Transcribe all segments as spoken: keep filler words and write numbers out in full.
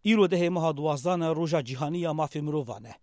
Îro dehê meha duwazdana Roja Cîhanî ya Mafê Mirovan e.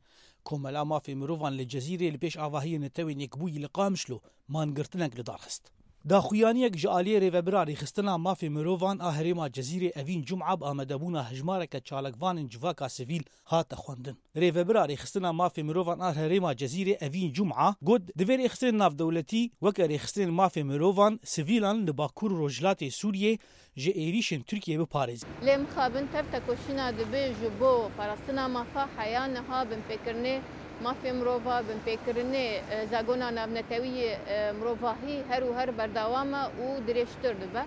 Komela Mafê Mirovan li Cezîrê li pêş avahiyê Netewên Yekbûyî li Qamişlo mangirtinek li dar xist. Daxuyaniyek ji aliyê Rêvebira Rêxistina Mafê Mirovan a Herêma Cezîrê Evîn Cum'a bi amadebûna hejmareke çalakvanên civaka sivîl hate xwendin. Rêvebira Rêxistina Mafê Mirovan a Herêma Cezîrê Evîn Cum'a got, divê rêxistinên navdewletî weke rêxistinên mafê mirovan sivîlan li Bakur û Rojhilatê Sûriyê ji êrîşên Tirkiyê biparêzin. Lê mixabin tev tekoşîna dibe ji bo parastina mafa heya niha binpêkirinê mafê mirova, binpêkirinê, e, zagona navnetewî yê, e, mirovahî her û her berdewam e û dirêjtir dibe.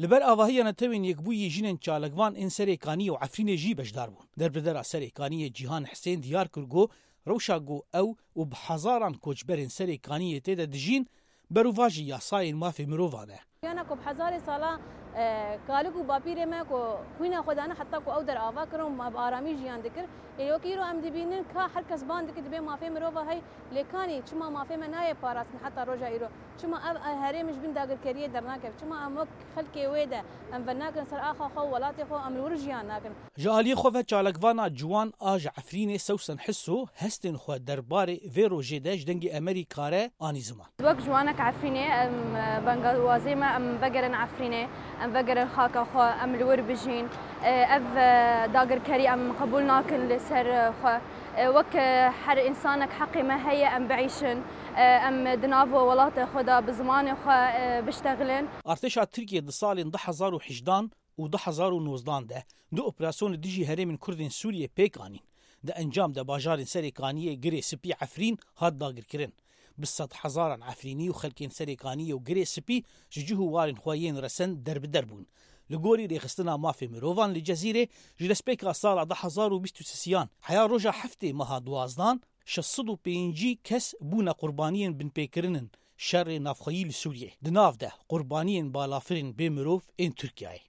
Li ber avahiya Netewên Yekbûyî jinên çalakvan ên Serê Kaniyê û Efrînê jî beşdar bûn. Derbidera Serê Kaniyê Cîhan Hisên diyar kir ku rewşa ku ew û bi hezaran koçberên Serê Kaniyê tê de dijîn, berovajî yasayên mafê mirovan e. Jiyana ku bi hezarê sala, e, kalik û bapîrê me ku xwîna xwe dane heta ku ew der ava kirin û me bi aramî jiyan dikir. Ê wekî îro em dibînin ka her kes ban dike dibê mafê mirova hey, lê kanî çima mafê me nayê parastin heta roja îro? Çima ev, e, herêm ji bin dagirkeriyê dernakeve? Çima em wek xelkê wê de em venakin ser axa xwe û welatê xwe, em li wir jiyan nakin? Ji aliyê xwe ve çalakvana ciwan a ji Efrînê Sewsen Hiso hestên xwe derbarê vê rojê de ji Dengê Emerîka re anî ziman. Wek ciwanek Efrînê, em, e, bengawazê me, em vegerin Efrînê, em vegerin xaka xwe, em li wir bijîn. E, ev, e, dagirkerî em qebûl nakin li ser, e, xwe. E, wek, e, her însanek heqê me heye em biîşin, e, em di nav welatê xwe de bi zimanê xwe, e, biştexilin. Artêşa Tirkiyê di salên du hezar û hejdan û du hezar û nozdan de du operasyonê dijî herêmên Kurdên Sûriyê pêk anîn. Di encam de bajarên Serê Kaniyê, Girê Spî, Efrîn hat dagirkirin. Bi sedhezaran Efrînî û xelkên Serê Kaniyê û Girê Spî ji cih û warên xwe yên resen derbider bûn. Li gorî Rêxistina Mafê Mirovan li Cezîrê, ji destpêka sala du hezar û bîst û sêyan heya roja heftê meha duwazdan, şeş sed û pêncî kes bûne qurbaniyên binpêkirinin şerê navxweyî li Sûriyê. Di nav de qurbaniyên balafirên bê mirov ên Tirkiyeyê.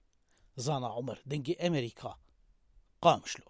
Zana Omer, Dengê Emerîka, Qamişlo.